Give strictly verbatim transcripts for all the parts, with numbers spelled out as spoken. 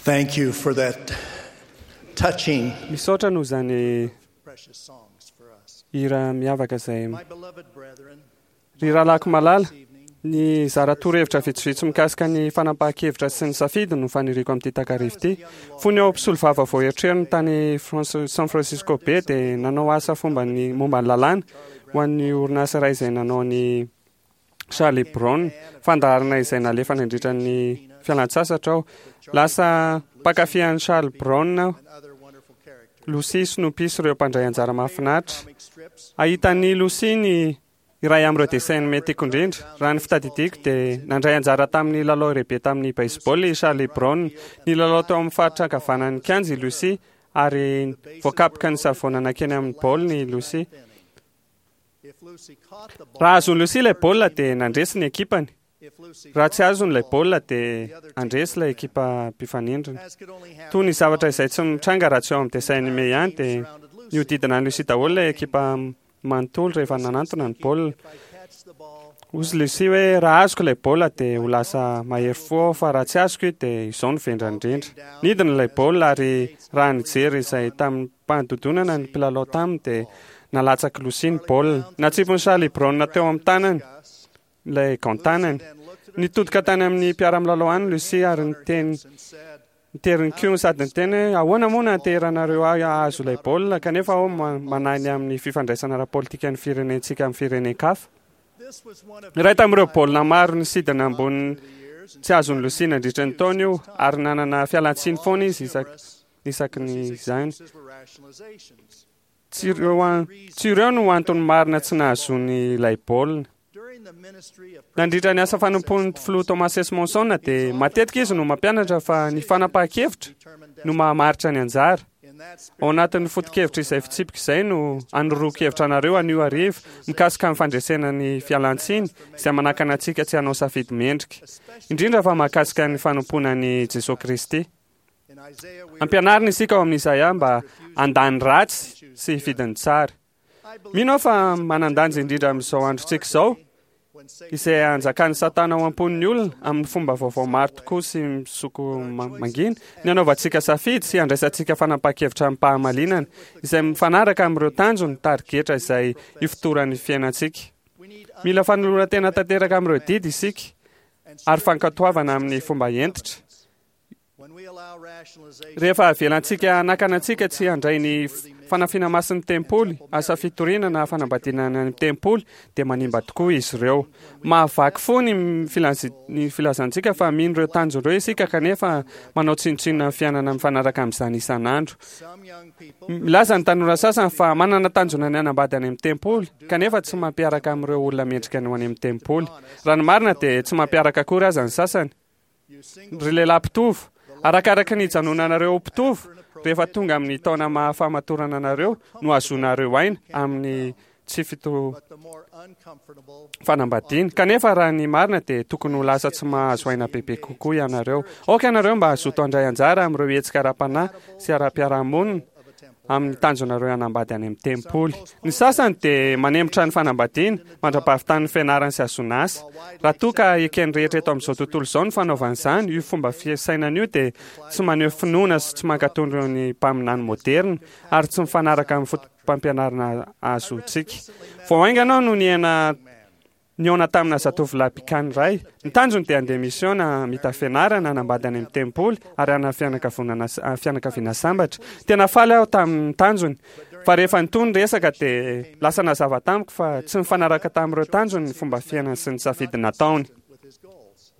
Thank you for that touching, Misaotra noho izany precious songs for us. hira miavaka izay. My beloved brethren, Ry rahalahiko malala, this evening, ny zara torohevitra vitsivitsy mikasika ny fanapahan-kevitra sy ny safidy no faniriako amin'ity takariva ity. Fony aho mpisolovava vao eritreriny tany France- San Francisco Bay dia nanao asa fomba ny momba ny lalàna ho an'ny orinasa iray izay nanao ny Charlie Brown, fandaharana izay nalefa nandritra ny fialan-tsasatra aho. Lasa mpankafy an'i Charlie Brown aho. and other wonderful characters. Lucy Snoopy sy ireo mpandray anjara mahafinaritra. Comic strips, Ahitan'i Lucy ny iray amin'ireo dessin animé tiako indrindra. Raha ny fitadidiako dia nandray anjara tamin'ny lalao lehibe tamin'ny baseball i Charlie Brown. Nilalao teo amin'ny faritra ankavanan'ny kianja i Lucy ary voakapoka ny savona nankeny amin'ny baolina i Lucy. if Lucy caught the ball, Raha azon'i Lucy ilay baolina dia nandresy ny ekipany. if Lucy Raha tsy lost azony the ilay ball, baolina dia handresy ilay ekipa mpifanindrina. as could only happen Toy ny zavatra izay tsy mitranga raha tsy ao amin'ny dessin animé ihany dia surrounded Lucy. nihodidina an'i Lucy daholo ilay ekipa manontolo rehefa nanantona ny baolina. If I catch the ball, Hoy Lucy hoe raha azoko ilay baolina dia ho lasa mahery fo aho fa raha tsy azoko io dia izao no vendrana indrindra. Nidina ilay baolina ary raha nijery izay tamin'ny mpandodonana ny mpilalao taminy dia nalatsak'i Lucy ny baolina. Natsipin'i Charlie Brown teo amin'ny tanany Gus, ilay gant-tanany. then looked at her Nitodika tany amin'ny mpiara-milalao any Lucy ary niteny and said, niteriny koa sady niteny hoe ahoana moa no anteheranareo ahy hahazo ilay baolina kanefa aho ma- manahy ny amin'ny fifandraisana ara-politika ny firenentsika amin'ny firenen-kafa. This was one of Iray tamin'ireo baolina maro nisidina ambony the years and tsy azon'i Lucy nandritra ny taona io ary nanana fialantsiny foana izy isak- isaky ny izany. Lucy's excuses were rationalizations. Tsy ireo an- tsy ireo no antony marina tsy nahazoany ilay baolina. During the ministry of Nandritra ny asa fanompoan'ny filoha Thomas S. Monson dia matetika izy no mampianatra fa ny fanapahan-kevitra determined no mahamaritra ny anjara. in that Ao spirit, anatin'ny foto-kevitra izay fitsipika izay no anoroan-kevitra anareo anio hariva mikasika ny fandresena ny fialantsiny izay manakana antsika tsy hanao safidy mendrika. Indrindra fa mahakasika ny fanompoana an'i Jesosy Kristy. in Isaiah we Ampianarina isika ao amin'ny Isaia mba handany ratsy sy hifidy ny tsara. I believe Mino aho fa manan-danja indrindra amin'izao androntsika izao when Satan izay anjakan'ny Satana ao am-pon'ny olona amin'ny fomba vaovao maro tokoa sy misoko ma- mangina ny anaovantsika safidy sy andraisantsika fanapahan-kevitra amim-pahamalinana izay mifanaraka amin'ireo tanjony tarigetra izay ifotoran'ny fiainantsika. we need Mila fanoloran-tena tanteraka amin'ireo didy isika and ary fankatoavana amin'ny fomba hentitra. when we allow rationalization Rehefa avelantsika hanakana antsika tsy handray ny f- fanafiana masin'ny tempoly, asa fitoriana na fanambadiana any amin'ny tempoly, dia manimba tokoa izy ireo. Mahavaky fo ny filazi- ny filazantsika fa mino ireo tanjona ireo isika kanefa manao tsinontsinona ny fiainana mifanaraka amin'izany isan'andro. some young people Milaza ny tanora sasany fa manana tanjona ny hanambady any amin'ny tempoly, kanefa tsy mampiaraka amin'ireo olona mendrika ny ho any amin'ny tempoly. Raha ny marina dia tsy mampiaraka akory aza ny sasany. you single Ry lehilahy mpitovo, arakaraka ny hijanonanareo ho mpitovo, rehefa tonga amin'ny taona mahafamatorana anareo no hahazoanareo aina amin'ny tsy fito but the more uncomfortable fanambadiana. Kanefa raha ny marina dia tokony ho lasa tsy mahazo aina bebe kokoa ianareo. Aoka ianareo mba hazoto handray anjara amin'ireo hetsika ara-panahy sy ara-piarahamonina of a temple amin'ny tanjonareo hanambady any amin'ny tempoly. Ny sasany dia manemitra ny fanambadiana mandra-pahavitan'ny fianarany sy hahazoana asa. Raha toa ka eken'ny rehetra eto amin'izao tontolo izao ny fanaovana izany, io fomba fisainana io dia tsy maneho finoana sy tsy mankatò ny mpaminany moderna ary tsy mifanaraka amin'ny foto-pampianarana azontsika. Vao haingana aho no niaina nihaona tamina zatovolahy mpikany iray. Ny tanjony dia handeha misiona mita fianarana, hanambady any amin'ny tempoly ary hanana fianakaviana fianakaviana sambatra. Tena faly aho tamin'ny tanjony fa rehefa nitohy ny resaka dia lasa nazava tamiko fa tsy mifanaraka tamin'ireo tanjony ny fomba fiainany sy ny safidy nataony. with his goals.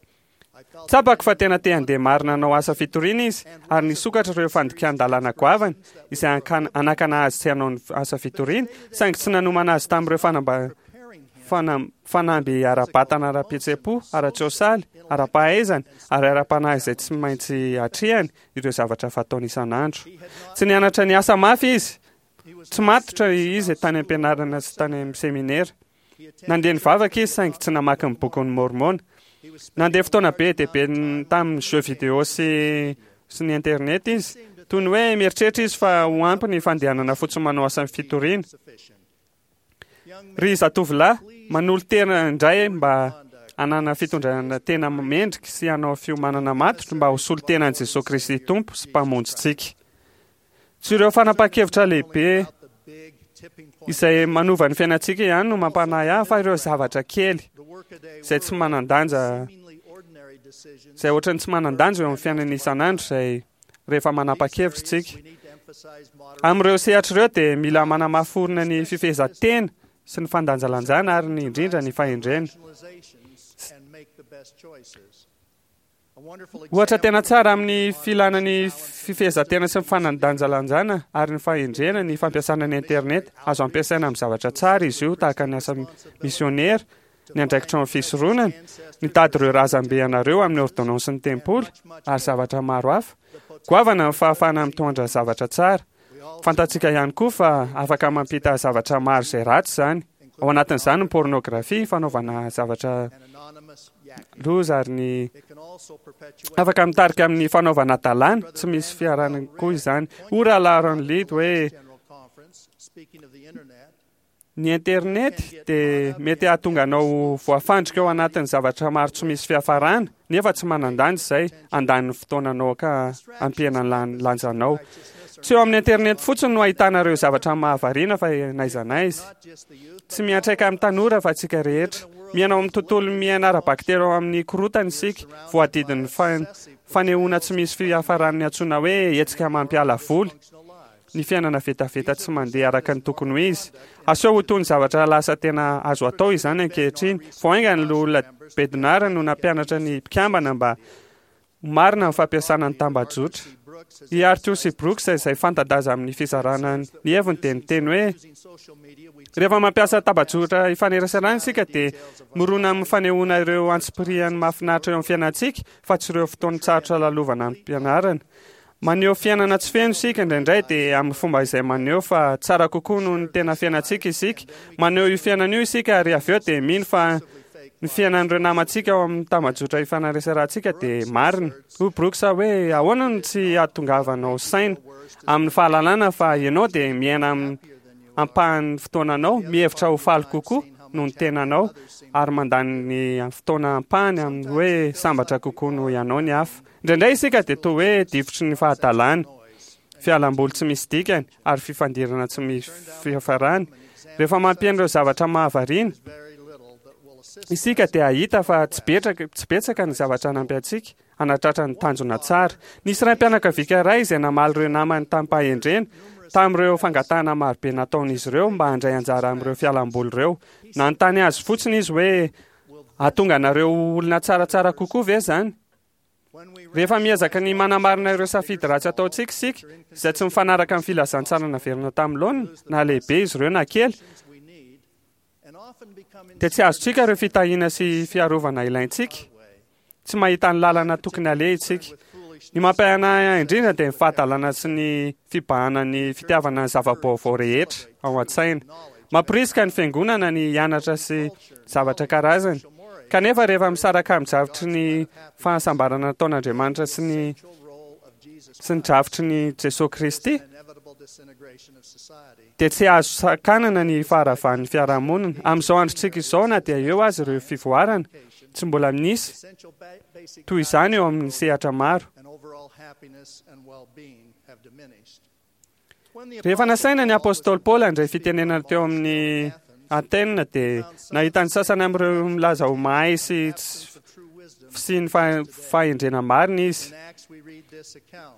I felt Tsapako fa tena te handeha marina hanao asa fitoriana izy ary nisokatra ireo fandikan-dalàna goavana izay ankan- hanakana azy tsy hanao ny asa fitoriana saingy tsy nanomana azy tamin'ireo fanamba preparing him fana- fanamby ara-batana ara-pihetseham-po, ara-tsosialy, ara-pahaizana ary ara-panahy izay tsy maintsy atrehany ireo zavatra fataony isan'andro. Tsy nianatra ny asa mafy izy, he was tsy matotra izy tany am-pianarana sy tany amin'ny seminera. he attended Nandeha nivavaka izy saingy tsy namaky ny bokin'ny Mormona. he was Nandeha fotoana be dia be n- tamin'ny jeu vidéo sy sy ny internet izy. Toy ny hoe mieritreritra izy fa ho ampy ny fandehanana fotsiny manao asa fitoriana. sufficient. Young Ry zatovolahy, manolo-tena indray mba Hanana fitondrana tena mendrika sy hanao fiomanana matotra mba ho solontenan'i Jesosy Kristy Tompo sy Mpamonjintsika. Tsy ireo fanapahan-kevitra lehibe izay manova ny fiainantsika ihany no mampanahy ahy, fa ireo zavatra kely izay tsy manan-danja, izay ohatran'ny tsy manan-danja eo amin'ny fiainana isan'andro, izay rehefa manapa-kevitra isika. Amin'ireo sehatra ireo dia mila manamafy orina ny fifehezan-tena sy ny fandanjalanjana ary ny indrindra ny fahendrena. Ohatra tena tsara amin'ny filana ny fifehezan-tena sy ny fandanjalanjana ary ny fahendrena ny fampiasana ny internet. Azo ampiasaina amin'ny zavatra tsara izy io, tahaka ny asa misionera, ny andraikitra amin'ny fisoronana, mitady ireo razambe anareo amin'ny ordonnansin'ny tempoly ary zavatra maro hafa. Goavana ny fahafahana mitondra zavatra tsara. Fantatsika ihany koa fa afaka mampita zavatra maro izay ratsy izany. Ao anatin'izany ny pornografia, fanaovana zavatra loza ary ny afaka mitarika amin'ny fanaovana hadalana tsy misy fiarahana koa izany. Hoy Rahalahy Aaron Lead hoe, Ny internet dia mety hahatonga anao ho voafandrika ao anatin'ny zavatra maro tsy misy fiafarana, nefa tsy manan-danja izay, handany ny fotoananao ka hampihena ny lanjanao. Tsy eo amin'ny internet fotsiny no ahitana ireo zavatra mahavariana fa n'aiza n'aiza. Tsy miantraika amin'ny tanora fa antsika rehetra. Miaina ao amin'ny tontolo miaina ara-bakiteny ao amin'ny korontana isika, voadidin'ny fanehoana tsy misy fiafaran'ny antsoina hoe hetsika mampiala voly. Ny fiainana vetaveta tsy mandeha araka ny tokony ho izy. Aseho ho toy ny zavatra lasa tena azo atao izany ankehitriny. Vao haingana ny Loholona Bednar no nampianatra ny mpikambana mba ho marina amin'ny fampiasana ny tambajotra. I Arthur C. Brooks, izay fanta-daza amin'ny fizarana ny heviny, dia niteny hoe, Rehefa mampiasa tambajotra ifaneraserana isika dia mirona amin'ny fanehoana ireo antsipiriany mahafinaritra eo amin'ny fiainantsika fa tsy ireo fotoan-tsarotra lalovana am-pianarana. Maneho fiainana tsy feno isika indraindray dia amin'ny fomba izay maneho fa tsara kokoa noho ny tena fiainantsika isika. Maneho io fiainana io isika ary avy eo dia mino fa ny fiainan'ireo namantsika ao amin'ny tambajotra ifanaraserantsika dia marina. Hoy Brooks hoe, Ahoana no tsy hahatongavanao saina amin'ny fahalalana fa ianao dia miaina amin'ny ampahan'ny fotoananao, mihevitra ho faly kokoa noho ny tenanao ary mandany ny fotoana ampahany amin'ny hoe sambatra kokoa noho ianao ny hafa. Indraindray isika dia toa hoe difotry ny fahadalana, fialam-boly tsy misy dikany, ary fifandirana tsy misy fiafarany. Rehefa mampiaina ireo zavatra mahavariana isika dia hahita fa tsy betraka, tsy betsaka ny zavatra hanampy antsika hanatratra ny tanjona tsara. Nisy raim-pianakaviaka iray izay namaly ireo namany tamim-pahendrena tamin'ireo fangatahana marobe nataon'izy ireo mba handray anjara amin'ireo fialam-boly ireo. Nanontany azy fotsiny izy hoe, Hahatonga anareo ho olona tsaratsara kokoa ve izany? Rehefa miezaka ny manamarina ireo safidy ratsy ataontsika isika, izay tsy mifanaraka amin'ny filazantsara naverina tamin'ny laoniny, na lehibe izy ireo na kely, dia tsy azontsika ireo fitahiana sy fiarovana ilaintsika. Tsy mahita ny lalana tokony haleha isika. Ny mampihanahy indrindra dia ny fahadalana sy ny fibahanan'ny fitiavana ny zava-baovao rehetra ao an-tsaina. Mamporisika ny fiangonana ny hianatra sy zavatra karazany. Kanefa rehefa misaraka amin'ny drafitry ny fahasambarana nataon'Andriamanitra sy ny sy ny drafitry ny Jesoa Kristy, dia tsy azo sakanana ny faharavan'ny fiarahamonina. Amin'izao androntsika izao, na dia eo aza ireo fivoarana, tsy mbola misy toy izany eo amin'ny sehatra maro. Rehefa nasaina ny apostoly Paoly handray fitenenana teo amin'ny Athènes dia nahita ny sasany amin'ireo milaza ho mahay sy tsy fisian'ny fahendrena marina izy.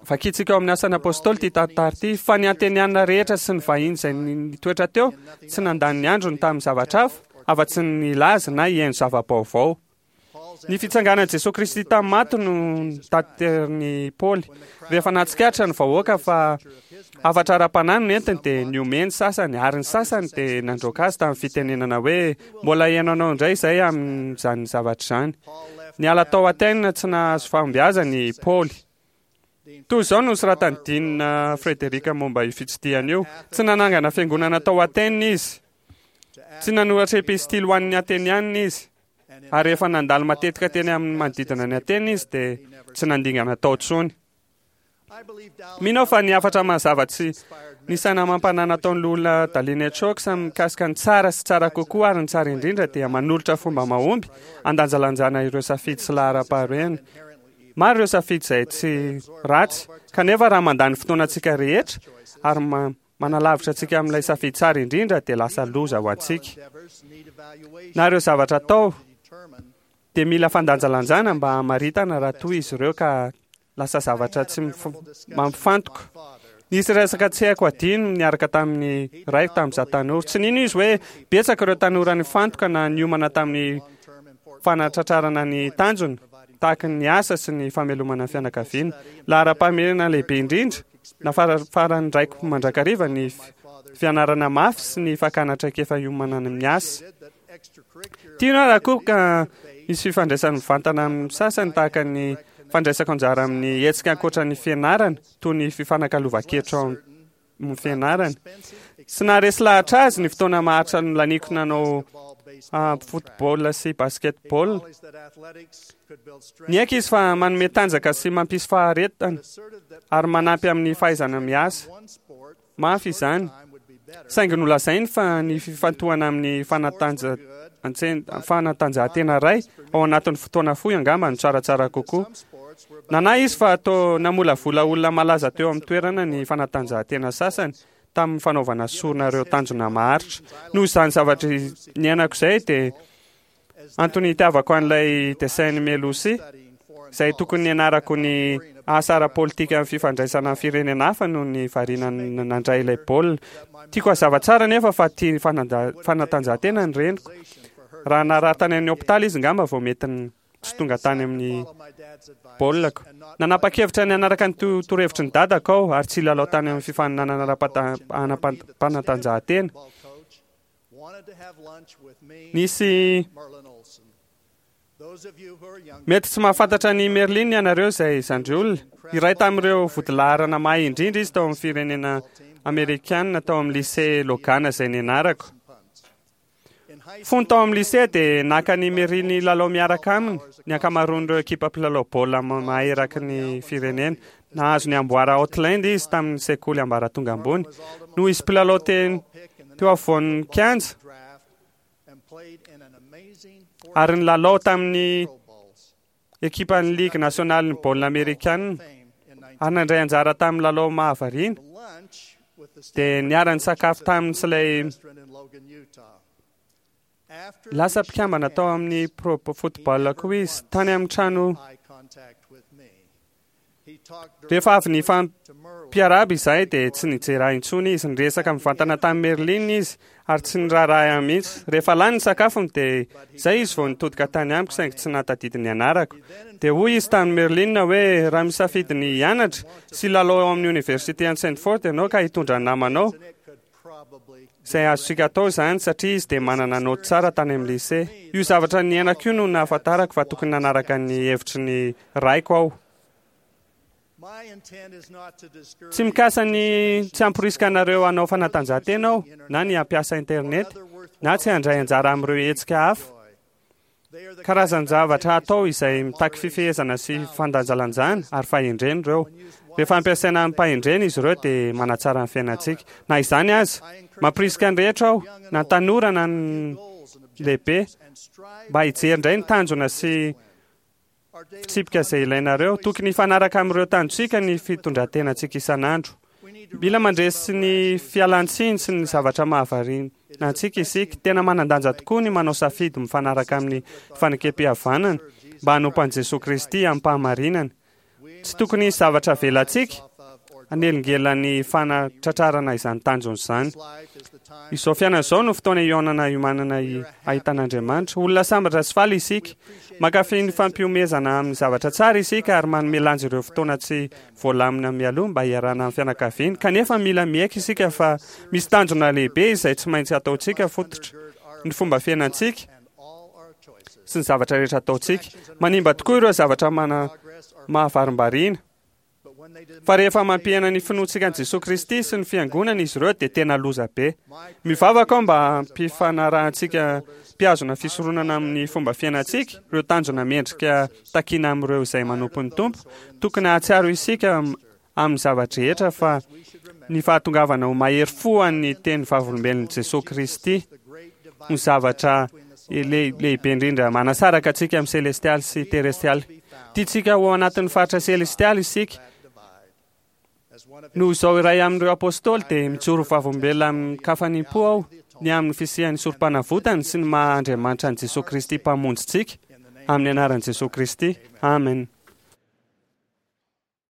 Vakintsika ao amin'ny Asan'ny Apostoly ity tantara ity, fa ny Ateniana rehetra sy ny vahiny izay nitoetra teo tsy nandany ny androny tamin'ny zavatra hafa afa-tsy ny nilaza na hihaino zava-baovao. Ny fitsanganan'i Jesoa Kristy tamin'ny maty no notaterin'i Paoly. Rehefa nahatsikaritra ny vahoaka fa hafatra ara-panahy no nentiny dia nihomehy ny sasany ary ny sasany dia nandroaka azy tamin'ny fitenenana hoe mbola hihaino anao indray izay amin'izany zavatra izany. Niala tao Athènes tsy nahazo fahombiazana i Paoly. Toy izao no nosoratan'i Dean Frederick momba io fitsidihana io, Tsy nanangana fiangonana tao Athènes izy. Tsy nanoratra epistily ho an'ny Atenianina izy. Ary rehefa nandalo matetika teny amin'ny manodidina an'i Atena izy dia tsy nandingana tao intsony. Mino aho fa ny hafatra mazava tsy ny saina amam-panahy nataon'ny loholona Dallin H. Oaks mikasika ny tsara sy tsara kokoa ary ny tsara indrindra dia manolotra fomba mahomby andanjalanjana ireo safidy sy laharam-pahamehana. Maro ireo safidy izay tsy ratsy, kanefa raha mandany fotoana antsika rehetra ary manalavitra antsika amin'ilay safidy tsara indrindra dia lasa loza ho antsika. Na ireo zavatra atao dia mila fandanjalanjana mba hamaritana raha toa izy ireo ka lasa zavatra tsy mampifantoka. Nisy resaka tsy haiko adino niaraka tamin'ny raiko tamin'izaho tanora. Tsy nino izy hoe betsaka ireo tanora nifantoka na niomana tamin'ny fanatratrarana ny tanjona, tahaka ny asa sy ny famelomana ny fianakaviana. Laharam-pahamehana lehibe indrindra na farafaran'ny raiko mandrakariva ny fianarana mafy sy ny fakana traikefa hiomanana amin'ny asa. Tiana raha koa ka misy fifandraisany mivantana amin'ny sasany tahaka ny fandraisako anjara amin'ny hetsika ankoatra ny fianarana toy ny fifanakalovan-kevitra ao amin'ny fianarana. Tsy naharesy lahatra azy ny fotoana maharitra nolaniko nanao football sy basketball. Niaiky izy fa manome tanjaka sy mampisy faharetana ary manampy amin'ny fahaizana miasa. Mafy izany. Saingy nolazainy fa ny fifantohana amin'ny fanatanja fanatanjahantena iray ao anatin'ny fotoana fohy angamba no tsaratsara kokoa. Nanahy izy fa toa namolavola olona malaza teo amin'ny toerana ny fanatanjahantena sasany tamin'ny fanaovana sorona ireo tanjona maharitra. Noho izany zavatra niainako izay dia antony itiavako an'ilay dessin animé Lucy, izay tokony nianarako ny asa ara-politika amin'ny fifandraisana amin'ny firenena hafa noho ny variana nandray ilay baolina. Tiako hazava tsara nefa fa tia fanatanjahantena ny reniko. Raha naraha tany amin'ny hopitaly izy ngamba vao mety tsy tonga tany amin'ny baolinako. Nanapa-kevitra ny hanaraka ny torohevitry ny dadako aho ary tsy hilalao tany amin'ny fifaninanana ara-panatanjahantena. Nisy mety tsy mahafantatra ny Merlin ianareo izay zandry olona. Iray tamin'ireo vodilaharana mahay indrindra izy tao amin'ny firenena amerikana tao amin'ny lycée Logan izay nianarako. Fony tao amin'ny lycée dia naka ny Merlin lalao miaraka aminy ny ankamaroan'ireo ekipa mpilalao baolina mahay eraky ny firenena. Nahazo ny amboara Outland izy tamin'ny sekoly ambaratonga ambony. Noho izy mpilalao teny teo afovoan'ny kianja ary ny lalao tamin'ny ekipan'ny ligue nationale ny baolina amerikana ary nandray anjara tamin'ny lalao mahavariana dia niara-nisakafo taminy sy ilay lasa mpikambana tao amin'ny pro football koa izy tany amin'ny trano. Rehefa avy nifampiarahaba izahay dia tsy nijery ahy intsony izy. Niresaka mivantana tamin'i Merlin izy ary tsy niraharaha ahy mihitsy. Rehefa lany ny sakafony dia izay izy vao nitodika tany amiko, saingy tsy nahatadidy ny anarako. Dia hoy izy tamin'i Merlin hoe raha misafidy ny hianatra sy lalao ao amin'ny université any Stanford ianao ka hitondra ny namanao, izay azontsika atao izany satria izy dia manana naoty tsara tany amin'ny lycée. Io zavatra niainako io no nahafantarako fa tokony nanaraka ny hevitry ny raiko aho. Tsy mikasa ny tsy hamporisika anareo hanao fanatanjahantena aho na ny hampiasa internet na tsy handray anjara amin'ireo hetsika hafa. Karazan-javatra atao izay mitaky fifehezana sy fandanjalanjana ary fahendrena ireo. Rehefa ampiasaina amim-pahendrena izy ireo dia manatsara ny fiainantsika. Na izany aza, mampirisika ny rehetra aho, na tanora na ny lehibe, mba hijery indray ny tanjona sy fitsipika izay ilainareo. Tokony hifanaraka amin'ireo tanjontsika ny fitondrantenantsika isan'andro. Mila mandresy ny fialantsiny sy ny zavatra mahavariana antsika isika. Tena manan-danja tokoa ny manao safidy mifanaraka amin'ny fanekem-pihavanana mba hanompo an'i Jesoa Kristy amim-pahamarinana. Tsy tokony hisy zavatra avelantsika hanelingelina ny fanatratrarana izany tanjona izany. Izao fiainana izao no fotoana hihaonana hiomanana ahitan'Andriamanitra. Olona sambatra sy faly isika. Mankafy ny fampihomezana amin'ny zavatra tsara isika ary manome lanja ireo fotoana tsy voalamina mialoha mba hiarahana amin'ny fianakaviana. Kanefa mila miaiky isika fa misy tanjona lehibe izay tsy maintsy ataontsika fototra ny fomba fiainantsika sy ny zavatra rehetra ataontsika. Manimba tokoa ireo zavatra mana mahavarimbariana. Fa rehefa mampihena ny finoantsika an'i Jesoa Kristy sy ny fiangonana izy ireo dia tena loza be. Mivavaka aho mba hampifanarahantsika mpihazona fisoronana amin'ny fomba fiainantsika ireo tanjona mendrika takiana amin'ireo izay manompo ny Tompo. Tokony hahatsiaro isika Amin'ny zava-drehetra fa ny fahatongavana ho mahery fo an'ny teny vavolombelon'i Jesosy Kristy no zavatra le- lehibe indrindra manasaraka antsika amin'ny selestialy sy terestialy. Tiantsika ho anatin'ny faritra selestialy isika. Noho izao iray amin'ireo apôstôly dia mijoro vavolombelona amin-kafanam-po aho ny amin'ny fisian'ny sorom-panavotany sy ny maha Andriamanitra an'i Jesosy Kristy mpamonjintsika, amin'ny anaran'i Jesosy Kristy. Amen.